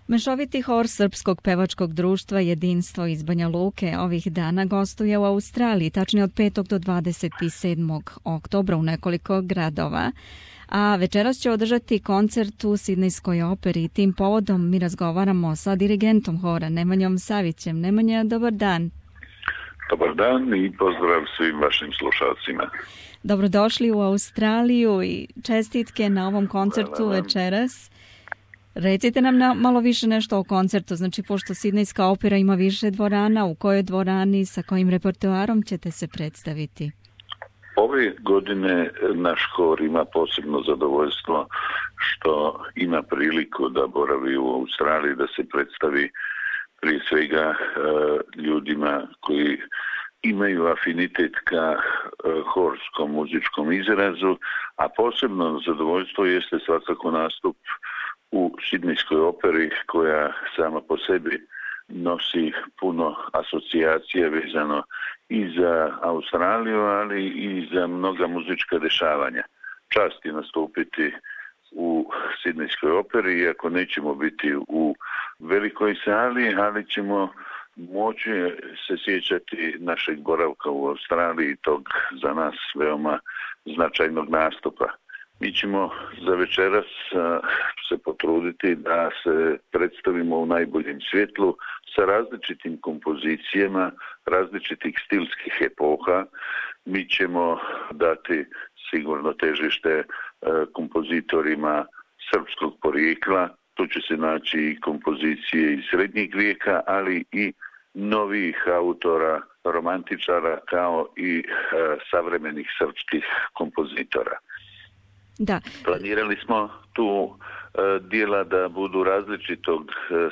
Mešoviti hor Srpskog pevačkog društva Jedinstvo iz Banja Luke ovih dana gostuje u Australiji, tačnije od 5. do 27. oktobra u nekoliko gradova. A večeras će održati koncert u Sidnejskoj operi i tim povodom mi razgovaramo sa dirigentom hora Nemanjom Savićem. Nemanja, dobar dan. Dobar dan i pozdrav svim vašim slušalcima. Dobrodošli u Australiju i čestitke na ovom koncertu večeras. Recite nam malo više nešto o koncertu, znači pošto Sidnejska opera ima više dvorana, u kojoj dvorani, sa kojim repertoarom ćete se predstaviti? Ove godine naš hor ima posebno zadovoljstvo što ima priliku da boravi u Australiji, da se predstavi prije svega ljudima koji imaju afinitet ka horskom muzičkom izrazu, a posebno zadovoljstvo jeste svakako nastup u Sidnejskoj operi koja sama po sebi nosi puno asocijacija vezano i za Australiju, ali i za mnoga muzička dešavanja. Čast je nastupiti u Sidnejskoj operi, iako nećemo biti u velikoj sali, ali ćemo moći se sjećati našeg boravka u Australiji, tog za nas veoma značajnog nastupa. Mi ćemo za večeras se potruditi da se predstavimo u najboljem svjetlu sa različitim kompozicijama, različitih stilskih epoha. Mi ćemo dati sigurno težište kompozitorima srpskog porijekla. Tu će se naći i kompozicije iz srednjeg vijeka, ali i novih autora, romantičara, kao i savremenih srpskih kompozitora. Da. Planirali smo tu dijela da budu različitog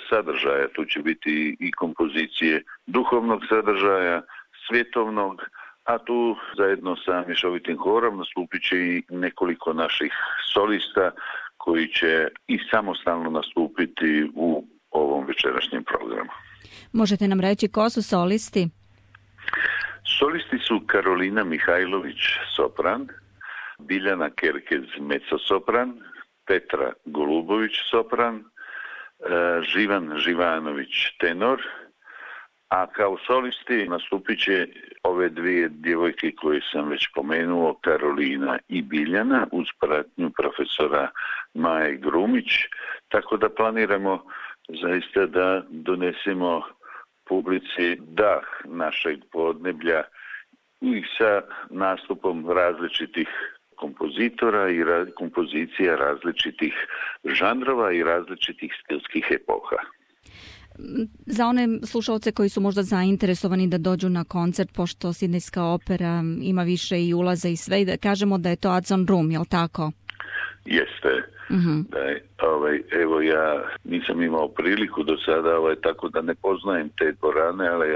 sadržaja. Tu će biti i kompozicije duhovnog sadržaja, svjetovnog, a tu zajedno sa mješovitim horom nastupit će i nekoliko naših solista koji će i samostalno nastupiti u ovom večerašnjem programu. Možete nam reći ko su solisti? Solisti su Karolina Mihajlović, sopran, Biljana Kerkez, mezzosopran, Petra Golubović, sopran, Živan Živanović, tenor, a kao solisti nastupit će ove dvije djevojke koje sam već pomenuo, Karolina i Biljana, uz pratnju profesora Maje Grumić, tako da planiramo zaista da donesemo publici dah našeg podneblja i sa nastupom različitih kompozitora i kompozicija različitih žanrova i različitih stilskih epoha. Za one slušalce koji su možda zainteresovani da dođu na koncert, pošto Sidnejska opera ima više i ulaza i sve, da kažemo da je to Adson Room, je li tako? Jeste. Mm-hmm. Evo ja nisam imao priliku do sada, tako da ne poznajem te dvorane, ali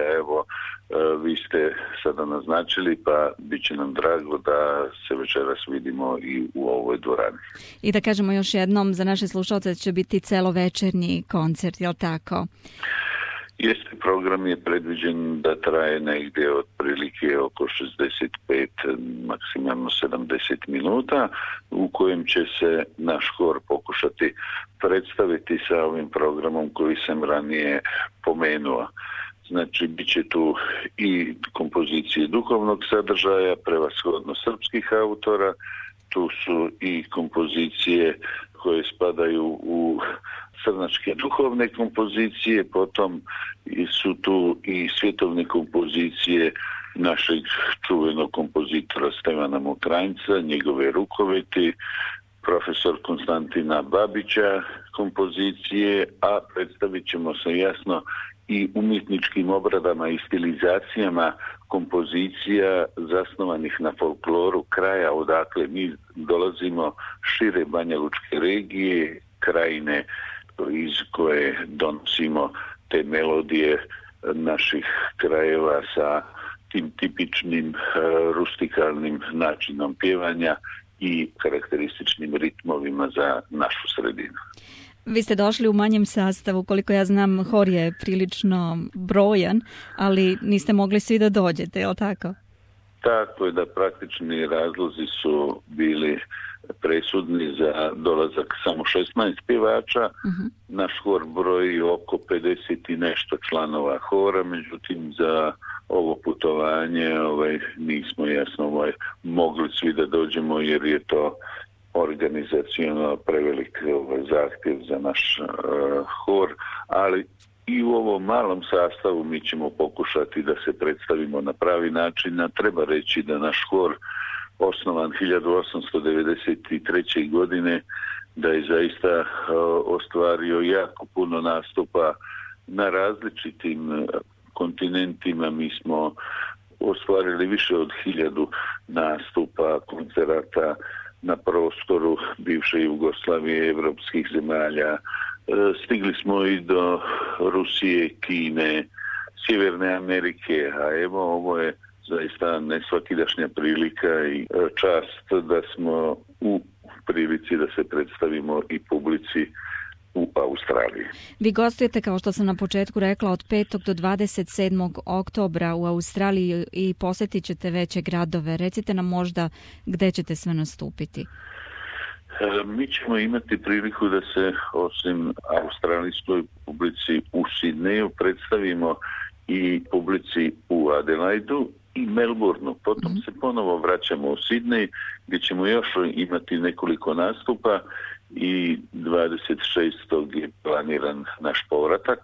vi ste sada naznačili, pa bit će nam drago da se večeras vidimo i u ovoj dvorani. I da kažemo još jednom, za naše slušalce će biti celovečernji koncert, je li tako? Jeste, program je predviđen da traje negdje otprilike oko 65, maksimalno 70 minuta, u kojem će se naš hor pokušati predstaviti sa ovim programom koji sam ranije pomenuo. Znači, bit će tu i kompozicije duhovnog sadržaja, prevashodno srpskih autora, tu su i kompozicije koje spadaju u crnačke duhovne kompozicije, potom su tu i svjetovne kompozicije našeg čuvenog kompozitora Stevana Mokranjca, njegove rukoveti, profesor Konstantina Babića kompozicije, a predstavit ćemo se jasno i umjetničkim obradama i stilizacijama kompozicija zasnovanih na folkloru kraja odakle mi dolazimo, šire banjalučke regije, krajine iz koje donosimo te melodije naših krajeva sa tim tipičnim rustikalnim načinom pjevanja i karakterističnim ritmovima za našu sredinu. Vi ste došli u manjem sastavu, koliko ja znam, hor je prilično brojan, ali niste mogli svi da dođete, je li tako? Tako je da praktični razlozi su bili presudni za dolazak samo 16 pjevača. Naš hor broji oko 50 i nešto članova hora, međutim za ovo putovanje nismo jasno mogli svi da dođemo jer je to organizacionalno prevelik zahtjev za naš hor, ali i u ovom malom sastavu mi ćemo pokušati da se predstavimo na pravi način. A treba reći da naš hor osnovan 1893. godine, da je zaista ostvario jako puno nastupa na različitim kontinentima. Mi smo ostvarili više od 1000 nastupa, koncerata na prostoru bivše Jugoslavije, evropskih zemalja. Stigli smo i do Rusije, Kine, Sjeverne Amerike, a evo ovo je zaista nesvakidašnja prilika i čast da smo u prilici da se predstavimo i publici u Australiji. Vi gostujete, kao što sam na početku rekla, od 5. do 27. oktobra u Australiji i posjetit ćete veće gradove. Recite nam možda gdje ćete sve nastupiti. Mi ćemo imati priliku da se osim australijskoj publici u Sidneju predstavimo i publici u Adelaidu i Melbourneu. Potom se ponovo vraćamo u Sidnej gdje ćemo još imati nekoliko nastupa i 26. je planiran naš povratak,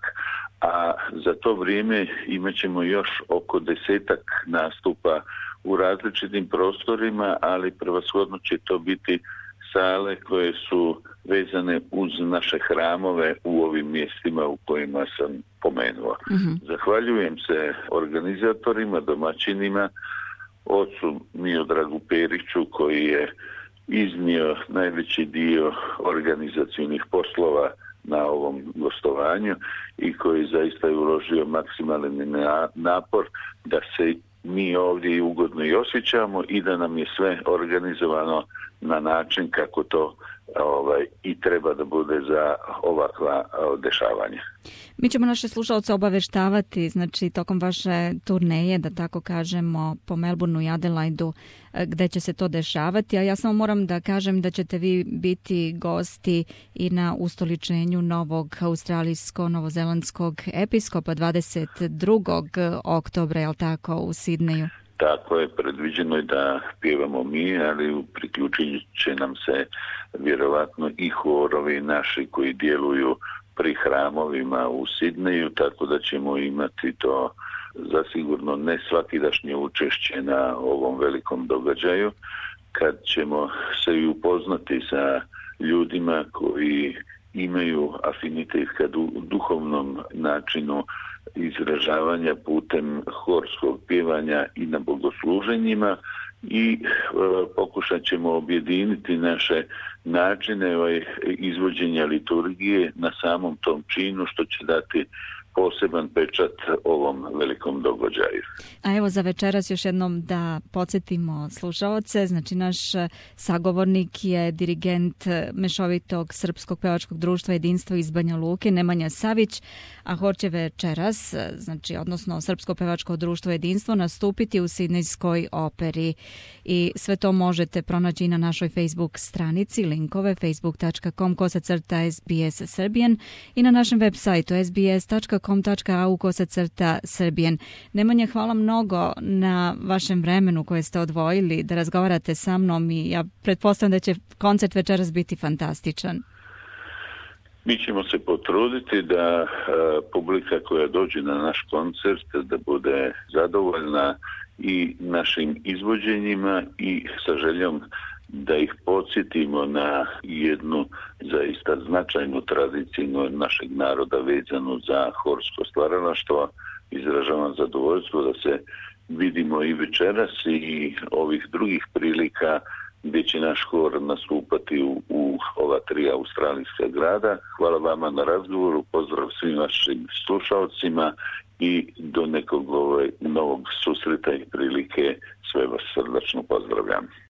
a za to vrijeme imat ćemo još oko 10 nastupa u različitim prostorima, ali prevashodno će to biti sale koje su vezane uz naše hramove u ovim mjestima u kojima sam pomenuo. Zahvaljujem se organizatorima, domaćinima, ocu Miodragu Periću koji je iznio najveći dio organizacijnih poslova na ovom gostovanju i koji zaista je uložio maksimalni napor da se mi ovdje ugodno i osjećamo i da nam je sve organizovano na način kako to i treba da bude za ovakva dešavanja. Mi ćemo naše slušalce obaveštavati, znači tokom vaše turneje, da tako kažemo, po Melbourneu i Adelaidu, gdje će se to dešavati, a ja samo moram da kažem da ćete vi biti gosti i na ustoličenju novog australijsko-novozelandskog episkopa 22. oktobra, je li tako, u Sidneju? Tako je, predviđeno je da pjevamo mi, ali priključit će nam se vjerovatno i horovi naši koji djeluju pri hramovima u Sidneju, tako da ćemo imati to zasigurno ne svakidašnje učešće na ovom velikom događaju, kad ćemo se i upoznati sa ljudima koji imaju afinitet ka duhovnom načinu izražavanja putem horskog pjevanja i na bogosluženjima i pokušat ćemo objediniti naše načine izvođenja liturgije na samom tom činu, što će dati poseban pečat ovom velikom događaju. A evo za večeras još jednom da podsjetimo slušaoce, znači naš sagovornik je dirigent Mešovitog srpskog pevačkog društva Jedinstvo iz Banja Luke, Nemanja Savić, a hor će večeras, znači odnosno Srpsko pevačko društvo Jedinstvo, nastupiti u Sidnejskoj operi i sve to možete pronaći na našoj Facebook stranici, linkove facebook.com/SBS Serbian i na našem web sajtu sbs.com.au/Serbian. Nemanja, hvala mnogo na vašem vremenu koje ste odvojili da razgovarate sa mnom i ja pretpostavljam da će koncert večeras biti fantastičan. Mi ćemo se potruditi da publika koja dođe na naš koncert da bude zadovoljna i našim izvođenjima i sa željom da ih podsjetimo na jednu zaista značajnu tradiciju našeg naroda vezanu za horsko stvaralaštvo. Izražavam zadovoljstvo da se vidimo i večeras i ovih drugih prilika gdje će naš hor nastupati u ova 3 australijska grada. Hvala vama na razgovoru, pozdrav svim vašim slušalcima i do nekog novog susreta i prilike sve vas srdačno pozdravljam.